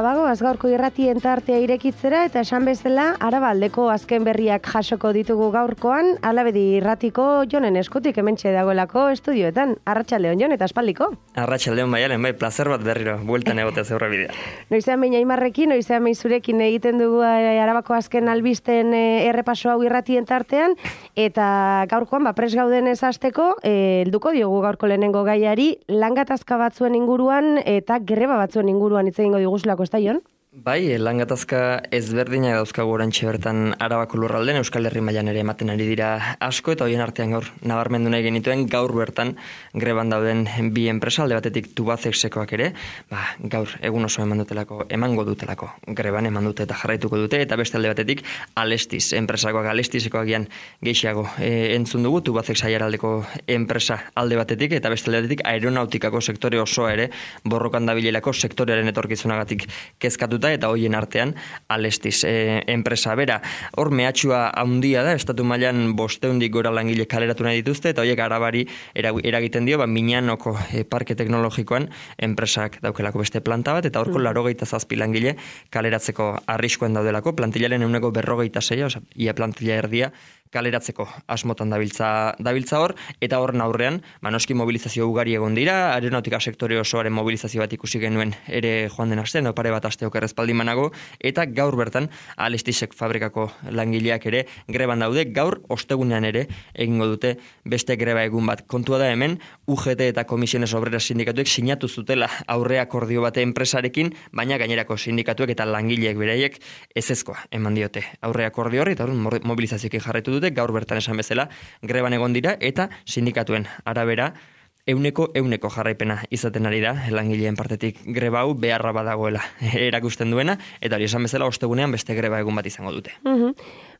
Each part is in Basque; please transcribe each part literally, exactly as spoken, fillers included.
bagoaz gaurko irratien tartea irekitzera eta esan bezala Arabaldeko azken berriak jasoko ditugu gaurkoan, Alabedi irratiko Jonen eskutik hementxe dagoelako estudioetan. Arratsaldeon Jon eta aspaldiko. Arratsaldeon Maialen, bai, plazer bat berriro bueltan egotea zeurra bidea. Noizean behin Aimarrekin, noizean behin zurekin egiten dugu Arabako azken albisten errepaso hau irratien tartean, eta gaurkoan ba pres gauden ez hasteko, helduko diogu gaurko lehenengo gaiari, langatazka batzuen inguruan eta greba batzuen inguruan hitz egingo diguzulako, ezta Jon? Bai, langatazka ezberdinak dauzkagu orantxe bertan Arabako lurralden, Euskal Herri mailan ere ematen ari dira asko, eta horien artean gaur nabarmendu nahi genituen gaur bertan greban dauden bi enpresa, alde batetik Tubacexekoak ere, ba, gaur egun oso eman dutelako, emango dutelako, greban eman dute eta jarraituko dute, eta beste alde batetik Alestis, enpresakoak Alestisekoak gian gehiago e, entzun dugu, Tubacex aiaraldeko enpresa alde batetik, eta beste alde batetik aeronautikako sektore osoa ere borrokan dabilelako sektorearen etorkizunagatik kezkatu eta hoien artean Alestis e, enpresa bera. Hor mehatxua handia da, estatu mailan bosteundik gora langile kaleratu nahi dituzte, eta horiek Arabari eragiten dio, ba, Miñanoko e, parke teknologikoan enpresak daukelako beste planta bat, eta horko mm. larogeita zazpi langile kaleratzeko arriskuen daudelako, plantillaren euneko berrogeita zeia, oza, ia plantilla erdia, kaleratzeko asmotan dabiltza, dabiltza hor, eta horren aurrean, manoski mobilizazio ugari egon dira, aeronautika sektore osoaren mobilizazio bat ikusi genuen ere joan den astean, pare bat aste okerrezpaldi manago, eta gaur bertan Alestisek fabrikako langileak ere greban daude, gaur ostegunean ere egingo dute beste greba egun bat. Kontua da hemen, U G T eta Komisiones Obreras sindikatuek sinatu zutela aurre akordio bate enpresarekin, baina gainerako sindikatuek eta langileek beraiek ezezkoa eman diote aurre akordio horri, eta hor mobilizazioekin jarraitu dute, gaur bertan esan bezala greban egon dira eta sindikatuen arabera euneko euneko jarraipena izaten ari da langileen partetik greba hau beharra badagoela erakusten duena, eta hori esan bezala ostegunean beste greba egun bat izango dute. Uh-huh.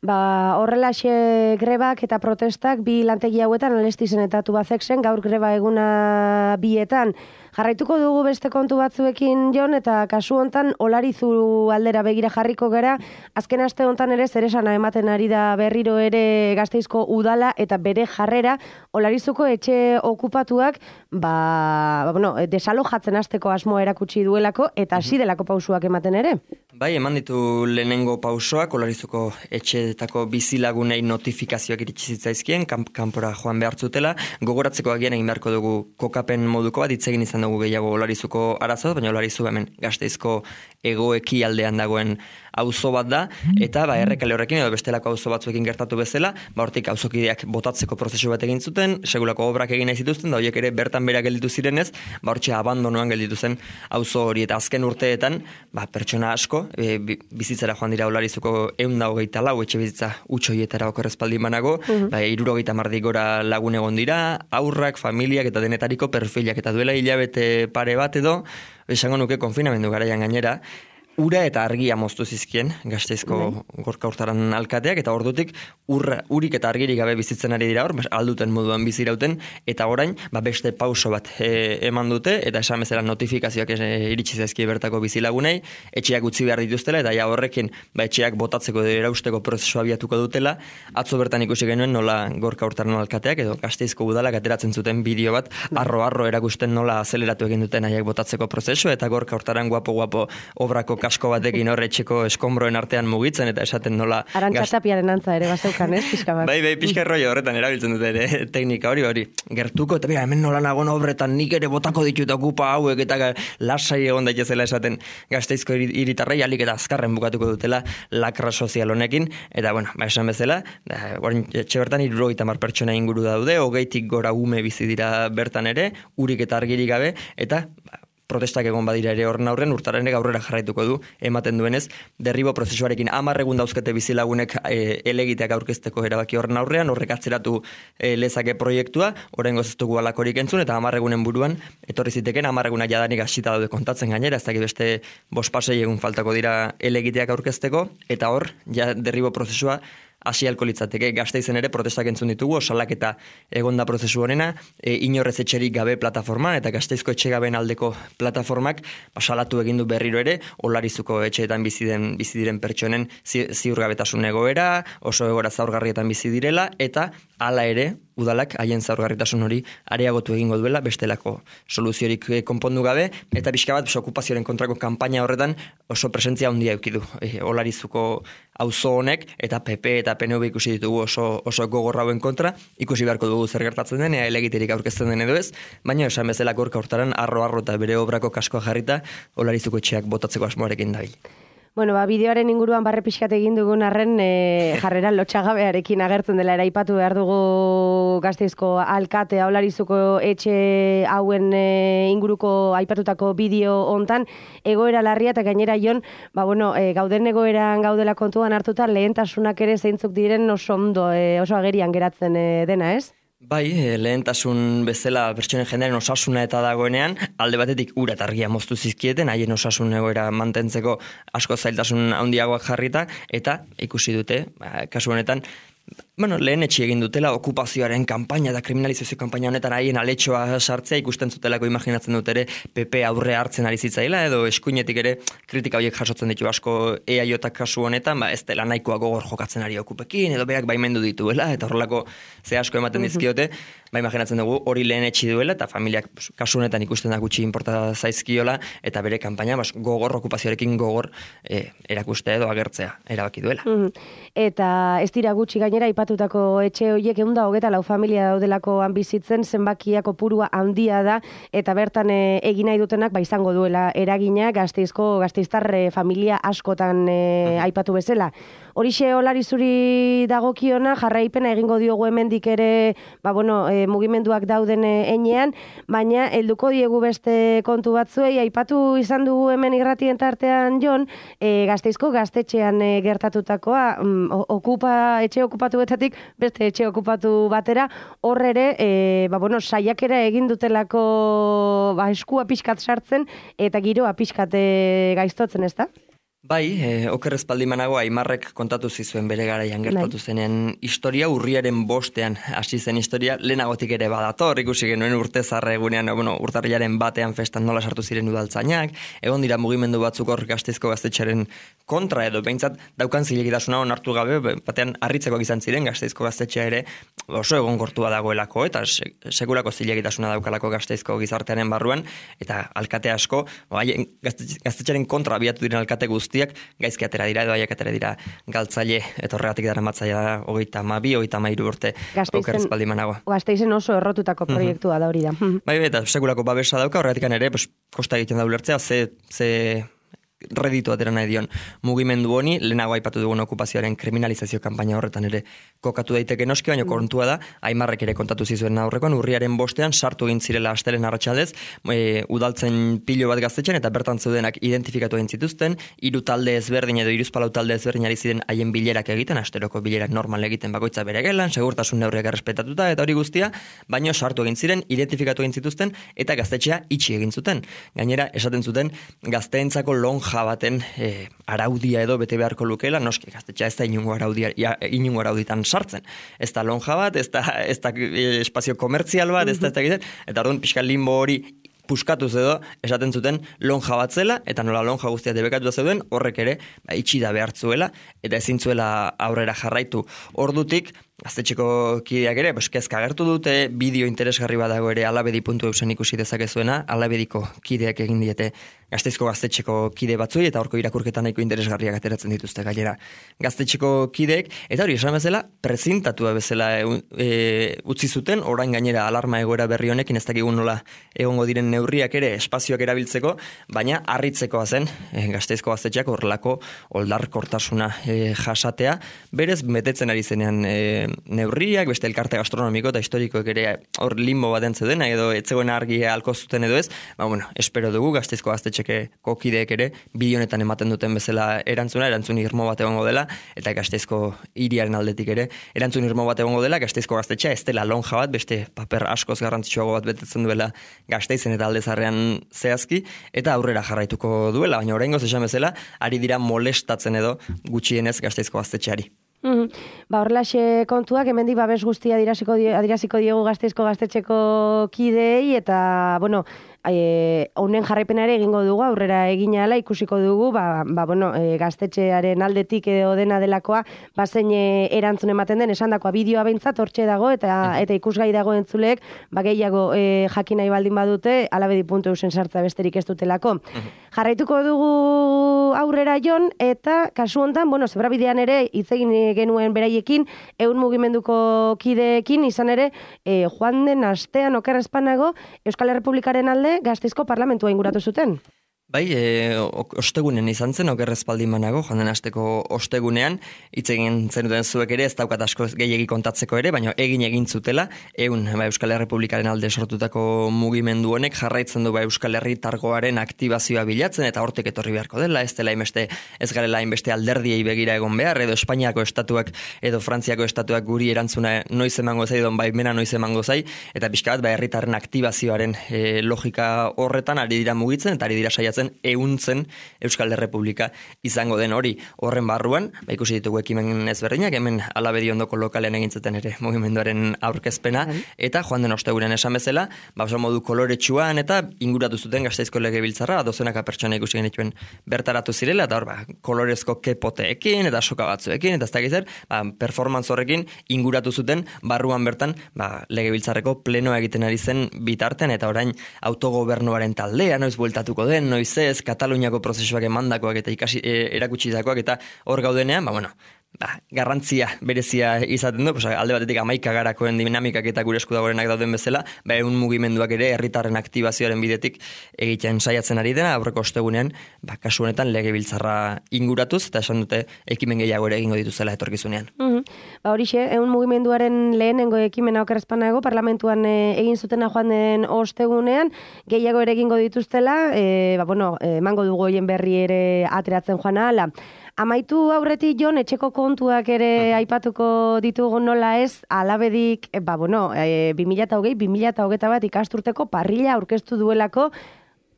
Ba, horrelaxe grebak eta protestak bi lantegi hauetan Alestisen eta Tubacexen, gaur greba eguna bietan. Jarraituko dugu beste kontu batzuekin Jon, eta kasu hontan Olarizu aldera begira jarriko gara, azken aste hontan ere zeresana ematen ari da berriro ere Gasteizko udala eta bere jarrera Olarizuko etxe okupatuak ba, bueno, desalojatzen hasteko asmoa erakutsi duelako eta hasi delako pausuak ematen ere. Bai, eman ditu lehenengo pausoak Olarizuko etxeetako bizilagunei notifikazioak iritsi zitzaizkien, kamp, kanpora joan behartzutela, gogoratzeko agian egin beharko dugu kokapen moduko bat, hitz egin izan dugu gehiago Olarizuko arazoa, baina Olarizu hemen Gasteizko egoeki aldean dagoen auzo bat da, eta ba, errekale horrekin edo bestelako auzo batzuekin gertatu bezala, ba, hortik auzokideak botatzeko prozesu bat egin zuten, segulako obrak egin nahi zituzten, da horiek ere bertan bera gelditu zirenez, ba, hortxe abandonoan gelditu zen auzo hori, eta azken urteetan, ba, pertsona asko, e, bizitzara joan dira Olarizuko ehun eta hogeita lau etxe bizitza utxoietara okerrezpaldi manago, uh-huh. ba, hirurogeita hamar gora lagun egon dira, aurrak, familiak eta denetariko perfilak, eta duela hilabete pare bat edo, esango nuke konfinamendu garaian gainera, ura eta argia moztu zizkien Gasteizko mm. gorka urtaran alkateak, eta ordutik urra, urik eta argirik gabe bizitzen ari dira hor, alduten moduan bizirauten, eta orain ba, beste pauso bat e, eman dute, eta esan bezala notifikazioak e, iritsi zaizkie bertako bizilagunei, etxeak utzi behar dituztela, eta ja horrekin ba, etxeak botatzeko edo erausteko prozesua abiatuko dutela. Atzo bertan ikusi genuen nola gorka urtaran alkateak, edo Gasteizko udalak ateratzen zuten bideo bat, arro-arro erakusten nola azeleratu egin duten aiak botatzeko prozesu, eta gorka urtaran guapo-guapo obrako kasko batekin horretxeko eskombroen artean mugitzen, eta esaten nola... Arantxatapiaren antza ere, bazeukan, ez, pixka bat. Bai, bai, pixka rollo horretan erabiltzen dute ere teknika hori, hori, gertuko, eta bera, hemen nola nagoen obretan nik ere botako ditut okupa hauek, eta lasai egon daitezela esaten Gasteizko hiritarrei alik eta azkarren bukatuko dutela lakra sozial honekin, eta, bueno, ba, esan bezala, orain etxe bertan hirurogeita hamar pertsona inguru daude, hogeitik gora ume bizi dira bertan ere, urik eta argirik gabe, eta... Ba, protestak egon badira ere horren aurren, urtaren aurrera jarraituko du, ematen duenez, derribo prozesuarekin hamar egun dauzkete bizilagunek e, elegiteak aurkezteko erabaki horren aurrean, horrek atzeratu e, lezake proiektua, orain gozeztugu alakorik entzun, eta hamar egunen buruan, etorri ziteken, hamar egunak jadanik hasita daude kontatzen gainera, ez dakit beste bospasei egun faltako dira elegiteak aurkezteko, eta hor, ja derribo prozesua hasi alko litzateke. Gasteizen ere protestak entzun ditugu, osalak eta egonda prozesu honena, e, inorrez etxerik gabe plataforma, eta Gasteizko etxegabeen aldeko plataformak salatu egin du berriro ere, Olarizuko etxeetan bizi den bizi diren pertsonen zi, ziurgabetasun egoera, oso egoera zaurgarrietan bizi direla, eta hala ere, udalak haien zaurgarritasun hori areagotu egingo duela, bestelako soluziorik konpondu gabe, eta pixka bat okupazioaren kontrako kanpaina horretan oso presentzia handia eduki du. E, Olarizuko auzo honek eta P P eta P N V ikusi ditugu oso, oso gogorra hauen kontra, ikusi beharko dugu zer gertatzen den, ea elegiterik aurkezten den edo ez, baina esan bezala gorka hortaran arro-arro eta bere obrako kaskoa jarrita Olarizuko etxeak botatzeko asmoarekin dabil. Bueno, ba, bideoaren inguruan barre pixkat egin dugun arren e, jarrera lotxagabearekin agertzen dela eraipatu behar dugu Gasteizko alkatea Olarizuko etxe hauen e, inguruko aipatutako bideo hontan egoera larria eta gainera Jon, ba, bueno, e, gauden egoeran gaudela kontuan hartuta lehentasunak ere zeintzuk diren oso ondo, e, oso agerian geratzen e, dena, ez? Bai, lehentasun bezala pertsonen jendearen osasuna eta dagoenean, alde batetik ura eta argia moztu zizkieten, haien osasun egoera mantentzeko asko zailtasun handiagoak jarrita, eta ikusi dute, kasu honetan, bueno, lehen etxi egin dutela okupazioaren kanpaina eta kriminalizazio kanpaina honetan haien aletxoa sartzea ikusten zutelako imaginatzen dut ere P P aurre hartzen ari zitzaila edo eskuinetik ere kritika horiek jasotzen ditu asko E A J kasu honetan, ba ez dela nahikoa gogor jokatzen ari okupekin edo berak baimendu dituela eta horrelako ze asko ematen dizkiote, ba imaginatzen dugu hori lehen etxi duela eta familiak kasu honetan ikusten da gutxi inporta zaizkiola eta bere kanpaina bas, gogor okupazioarekin gogor e, erakustea edo agertzea erabaki duela. Eta ez dira gutxi gainera aipatutako etxe horiek ehun eta hogeita lau familia daudelakoan bizitzen zenbakia kopurua handia da eta bertan e, egin nahi dutenak ba izango duela eragina Gasteizko gasteiztar e, familia askotan e, aipatu bezala. Horixe Olarizuri dagokiona jarraipena egingo diogu hemendik ere ba bueno, e, mugimenduak dauden heinean, baina helduko diegu beste kontu batzuei aipatu izan dugu hemen irratien tartean Jon, e, Gasteizko gaztetxean e, gertatutakoa mm, okupa etxe okupatuetatik beste etxe okupatu batera, hor ere e, ba bueno, saiakera egin dutelako ba eskua pixkat sartzen eta giroa pixkat e, gaiztotzen, ezta? Bai, e, oker espaldi manago Aimarrek kontatu zizuen bere garaian gertatu zenen historia, urriaren bostean hasi zen historia, lehenagotik ere badator, ikusi genuen urte zarre egunean, bueno, urtarrilaren batean festan nola sartu ziren udaltzainak, egon dira mugimendu batzuk hor Gasteizko gaztetxearen kontra edo behintzat daukan zilegitasuna onartu gabe, batean harritzekoak izan ziren Gasteizko gaztetxea ere oso egon gortua dagoelako, eta se, sekulako zilegitasuna daukalako Gasteizko gizartearen barruan, eta alkate asko, haien gaztetxearen kontra abiatu diren alkate guzti gaizki atera dira edo haiek atera dira galtzaile eta horregatik dara matzaia da hogeita hamabi, hogeita hamairu urte oker espaldi manago. Gasteizen oso errotutako proiektua da hori da. Bai, eta sekulako babesa dauka, horregatik ere pues, kosta egiten da ulertzea, ze, ze reditu atera nahi dion mugimendu honi, lehenago aipatu dugun okupazioaren kriminalizazio kanpaina horretan ere kokatu daiteke noski, baina kontua da, Aimarrek ere kontatu zizuen aurrekoan, urriaren bostean sartu egin zirela astelen arratsaldez, e, udaltzen pilo bat gaztetxean eta bertan zeudenak identifikatu egin zituzten, hiru talde ezberdin edo hiruzpalau talde ezberdin ari ziren haien bilerak egiten, asteroko bilerak normal egiten bakoitza bere gelan, segurtasun neurriak errespetatuta eta hori guztia, baino sartu egin ziren, identifikatu egin zituzten eta gaztetxea itxi egin zuten. Gainera, esaten zuten gazteentzako lonja baten e, araudia edo bete beharko lukela, noski gaztetxea ez da inungo araudia, inungo arauditan sartzen. Ez da lonja bat, ez da, ez da e, espazio komertzial bat, ez da ez da egiten, eta orduan pixka limbo hori puskatuz edo esaten zuten lonja bat zela, eta nola lonja guztia debekatu zeuden, horrek ere ba, itxi da behartzuela, eta ezin zuela aurrera jarraitu. Ordutik, gaztetxeko kideak ere, pues, kezka agertu dute, bideo interesgarri badago ere alabedi puntu eusen ikusi dezakezuena, alabediko kideak egin diete Gasteizko gaztetxeko kide batzuei, eta horko irakurketan nahiko interesgarriak ateratzen dituzte gainera gaztetxeko kideek, eta hori esan bezala, prezentatua bezala e, e, utzi zuten, orain gainera alarma egoera berri honekin, ez dakigun nola egongo diren neurriak ere espazioak erabiltzeko, baina harritzekoa zen e, Gasteizko gaztetxeak horrelako oldarkortasuna e, jasatea, berez betetzen ari zenean e, neurriak, beste elkarte gastronomiko eta historikoek ere hor limbo baten zeudena edo etzegoen argia alko zuten edo ez, ba bueno, espero dugu Gasteizko gaztetxeko kideek ere bideonetan ematen duten bezala erantzuna, erantzun irmo bat egongo dela, eta Gasteizko hiriaren aldetik ere erantzun irmo bat egongo dela, Gasteizko gaztetxea ez dela lonja bat, beste paper askoz garrantzitsuago bat betetzen duela Gasteizen eta Aldezarrean zehazki, eta aurrera jarraituko duela, baina oraingoz esan bezala, ari dira molestatzen edo gutxienez Gasteizko gaztetxeari. Mm-hmm. Ba, horrelaxe kontuak, hemendik babes guztia adiraziko, die, adiraziko diegu Gasteizko gaztetxeko kideei, eta, bueno, e, honen jarraipena ere egingo dugu, aurrera egin ahala ikusiko dugu, ba, ba bueno, e, gaztetxearen aldetik edo dena delakoa, ba zein e, erantzun ematen den, esandakoa bideoa behintzat hortxe dago, eta eta ikusgai dago entzuleek, ba gehiago e, jakin nahi baldin badute, alabedi puntu eusen sartza besterik ez dutelako. Jarraituko dugu aurrera jon, eta kasu hontan, bueno, zebrabidean ere hitz egin genuen beraiekin, ehun mugimenduko kideekin, izan ere, e, joan den astean oker espanago, Euskal Errepublikaren alde Gasteizko parlamentua inguratu zuten. Bai, e, ostegunen izan zen, oker espaldi manago, joan den asteko ostegunean, hitz egin zenuten zuek ere, ez daukat asko gehiegi kontatzeko ere, baina egin egin zutela, egun ba, Euskal Errepublikaren alde sortutako mugimendu honek jarraitzen du ba, Euskal Herritargoaren aktibazioa bilatzen, eta hortik etorri beharko dela, ez dela hainbeste, ez garela hainbeste alderdiei begira egon behar, edo Espainiako estatuak, edo Frantziako estatuak guri erantzuna noiz emango zai, don baimena noiz emango zai, eta pixka bat, ba, herritarren aktibazioaren e, logika horretan ari dira mugitzen, eta ari dira saiatzen ehuntzen Euskal Errepublika izango den hori. Horren barruan, ba, ikusi ditugu ekimen ezberdinak, hemen Alabedi ondoko lokalean egintzuten ere mugimenduaren aurkezpena, eta joan den ostegunean esan bezala, ba, oso modu koloretsuan eta inguratu zuten Gasteizko Legebiltzarra, dozenaka pertsona ikusi genituen bertaratu zirela, eta hor, ba, kolorezko kepoteekin, eta soka batzuekin, eta ez dakiz zer, ba, performance horrekin inguratu zuten barruan bertan, ba, Legebiltzarreko plenoa egiten ari zen bitartean, eta orain autogobernuaren taldea, noiz bueltatuko den, noiz ez, Kataluniako prozesuak emandakoak eta ikasi e, erakutsitakoak eta hor gaudenean, ba, bueno, ba, garrantzia berezia izaten du, pues, alde batetik amaika garakoen dinamikak eta gure esku dagoenak dauden bezala, ba, egun mugimenduak ere herritarren aktibazioaren bidetik egiten saiatzen ari dena, aurreko ostegunean, ba, kasu honetan Legebiltzarra inguratuz, eta esan dute ekimen gehiago ere egingo dituzela etorkizunean. Mm-hmm. Ba, horixe, egun mugimenduaren lehenengo ekimena okerrezpanago, parlamentuan e, egin zutena joan den ostegunean, gehiago ere egingo dituztela, e, ba, bueno, emango dugu hoien berri ere ateratzen joan ahala. Amaitu aurretik jon, etxeko kontuak ere aipatuko ditugu nola ez, Alabedik, ba, bueno, e, bi mila hogei, bi mila hogeita bat ikasturteko parrilla aurkeztu duelako,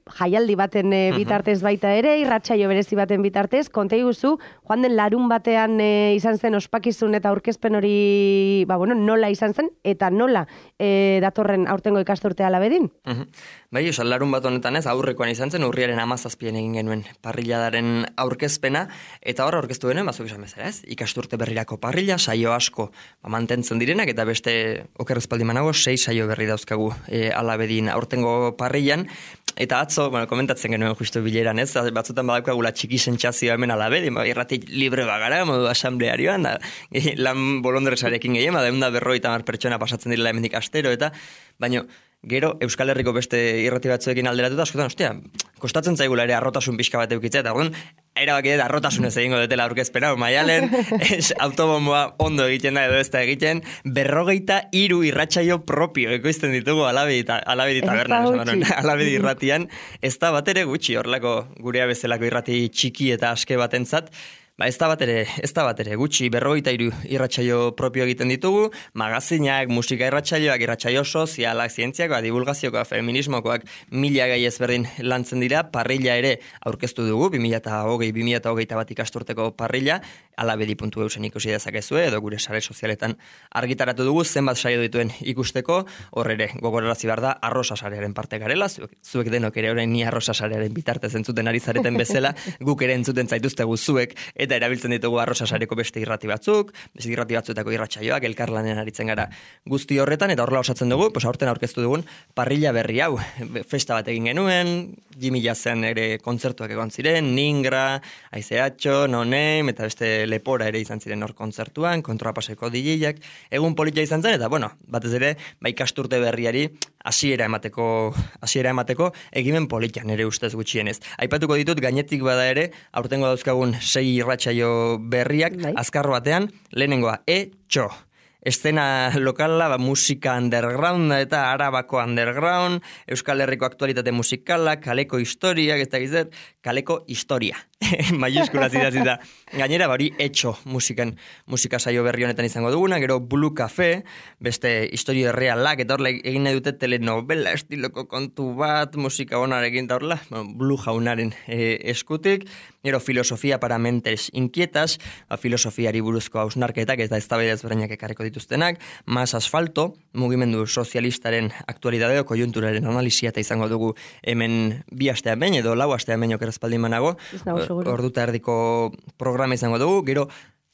jaialdi baten e, bitartez baita ere, irratsaio berezi baten bitartez, konta iguzu, joan den larun batean e, izan zen ospakizun eta aurkezpen hori, ba, bueno, nola izan zen, eta nola e, datorren aurtengo ikasturtea Alabedin? Uh-huh. Bai, osan larun bat honetan ez, aurrekoan izan zen, urriaren hamazazpian egin genuen parrilladaren aurkezpena, eta hor aurkeztu genuen, bazuk esan bezala ez, ikasturte berrirako parrilla, saio asko ba, mantentzen direnak, eta beste okerrezpaldi manago, sei saio berri dauzkagu e, Alabedin aurtengo parrillan, eta atzo, bueno, komentatzen genuen justu bileran, ez? Batzutan badaukagula txiki sentsazioa hemen Alabedi, ba, irratik libre bagara, modu asamblearioan, da, lan bolondresarekin gehien, da, eunda berroita mar pertsona pasatzen direla hemendik astero, eta, baino, gero Euskal Herriko beste irrati batzuekin alderatuta, askotan, ostia, kostatzen zaigula ere arrotasun pixka bat eukitzea, eta orduan, erabaki dut arrotasunez egingo dutela aurkezpena, maialen, autobomboa ondo egiten da edo ez da egiten, berrogeita hiru irratsaio propio ekoizten ditugu Alabedi tabernan, Alabedi irratian, ez da bat ere gutxi, horrelako gurea bezalako irrati txiki eta aske batentzat. Ba, ez da bat ere, ez da bat ere, gutxi berrogeita hiru irratsaio propio egiten ditugu, magazinak, musika irratsaioak, irratsaio sozialak, zientziakoak, divulgaziokoak, feminismokoak, mila gai ezberdin lantzen dira, parrilla ere aurkeztu dugu, bi mila hogei, bi mila hogeita bat ikasturteko parrilla, alabedi puntu eusen ikusi dezakezue, edo gure sare sozialetan argitaratu dugu, zenbat saio dituen ikusteko, hor ere, gogorarazi behar da, arrosa sarearen parte garela, zuek, zuek denok ere orain ni arrosa sarearen bitartez entzuten ari zareten bezala, guk ere entzuten zaituztegu zuek, eta erabiltzen ditugu arrosa sareko beste irrati batzuk, beste irrati batzuetako irratsaioak, elkarlanean aritzen gara guzti horretan, eta horrela osatzen dugu, pues aurten aurkeztu dugun parrilla berri hau, festa bat egin genuen, Jimmy Jazzen ere kontzertuak egon ziren, Ningra, Aizeatxo, No Name, eta beste Lepora ere izan ziren hor kontzertuan, kontrapaseko D J-ak, egun politia izan zen, eta bueno, batez ere, ba ikasturte berriari hasiera emateko, hasiera emateko egimen politian ere ustez gutxienez. Aipatuko ditut gainetik bada ere, aurtengo dauzkagun sei irratsaio berriak, bai. Azkar batean, lehenengoa, E-txo. Eszena lokala, ba, musika underground eta arabako underground, Euskal Herriko aktualitate musikala, kaleko historiak, ez da gizet, kaleko historia. Maiuskulaz idatzi da. Gainera, bari etxo musikan, musika saio berri honetan izango duguna, gero Blue Cafe, beste historio errealak, eta horrela egin nahi dute telenovela estiloko kontu bat, musika onarekin da horrela, Blue jaunaren e, eskutik, gero filosofia para mentes inquietas, filosofiari buruzko hausnarketak eta eztabaida ezberdinak ekarriko dituztenak, Más asfalto, mugimendu sozialistaren aktualidadeo, kojunturaren analizia eta izango dugu hemen bi astean behin edo lau astean behin okerazpaldin manago, orduta erdiko programa izango dugu, gero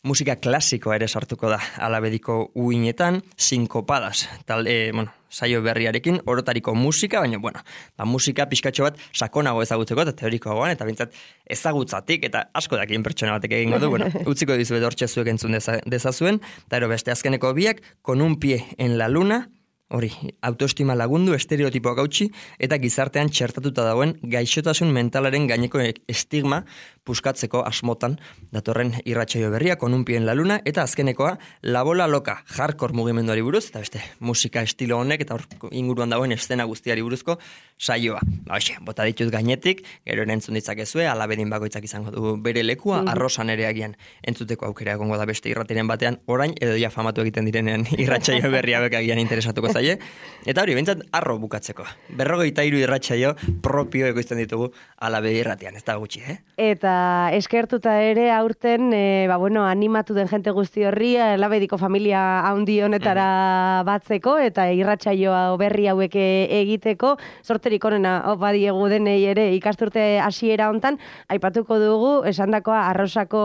musika klasikoa ere sartuko da Alabediko uinetan, sinkopadas, tal, e, bueno, saio berriarekin, orotariko musika, baina, bueno, ba, musika pixkatxo bat sakonago ezagutzeko eta teorikoagoan, eta bintzat ezagutzatik, eta asko dakien pertsona batek egingo du, bueno, utziko dizuet hortxe zuek entzun deza, dezazuen, eta ero beste azkeneko biak, Con un pie en la luna, hori, autoestima lagundu, estereotipoak gautxi, eta gizartean txertatuta dagoen gaixotasun mentalaren gaineko estigma puskatzeko asmotan datorren irratsaio berria, Con un pie en la luna, eta azkenekoa, La bola loka, hardcore mugimenduari buruz, eta beste, musika estilo honek, eta hor inguruan dagoen eszena guztiari buruzko saioa. Ba, hoxe, bota ditut gainetik, gero entzun ditzakezue, Alabedin bakoitzak izango du bere lekua, mm. arrosan ere agian entzuteko aukera egongo da beste irratiren batean, orain, edo ja famatu egiten direnean irratsaio berria bek agian interesatuko zaie. Eta hori, behintzat, arro bukatzeko. Berrogeita hiru irratsaio propio ekoizten ditugu Alabedi irratian, ez da gutxi, eh? Eta eskertuta ere aurten, e, ba, bueno, animatu den jente guzti horri, Alabediko familia handi honetara mm. batzeko, eta irratsaioa berri hauek egiteko, sorterik onena badiegu denei ere ikasturte hasiera hontan, aipatuko dugu, esandakoa arrosako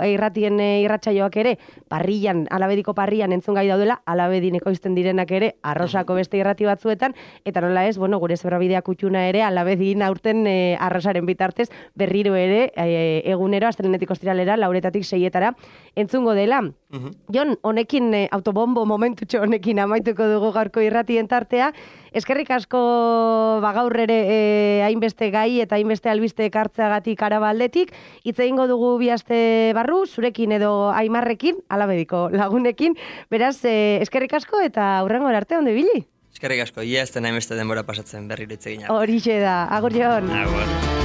irratien irratsaioak ere, parrillan, Alabediko parrillan entzun gai daudela, Alabedin ekoizten direnak ere, arrosako beste irrati batzuetan, eta nola ez, bueno, gure zebrabidea kutxuna ere, Alabedin aurten e, arrosaren bitartez, berriro ere, e, egunero, astelenetik ostiralera, lauretatik seietara, entzungo dela. Uh-huh. Jon, honekin, e, autobombo momentutxo honekin amaituko dugu gaurko irratien tartea, eskerrik asko ba, gaur ere e, hainbeste gai eta hainbeste albiste ekartzeagatik arabaldetik, hitz egingo dugu bi aste barru, zurekin edo Aimarrekin, Alabediko lagunekin, beraz, e, eskerrik asko eta hurrengo arte ondo ibili. Eskerrik asko, ia ez den hainbeste denbora pasatzen berriro hitz egin. Horixe da, agur Jon. Agur.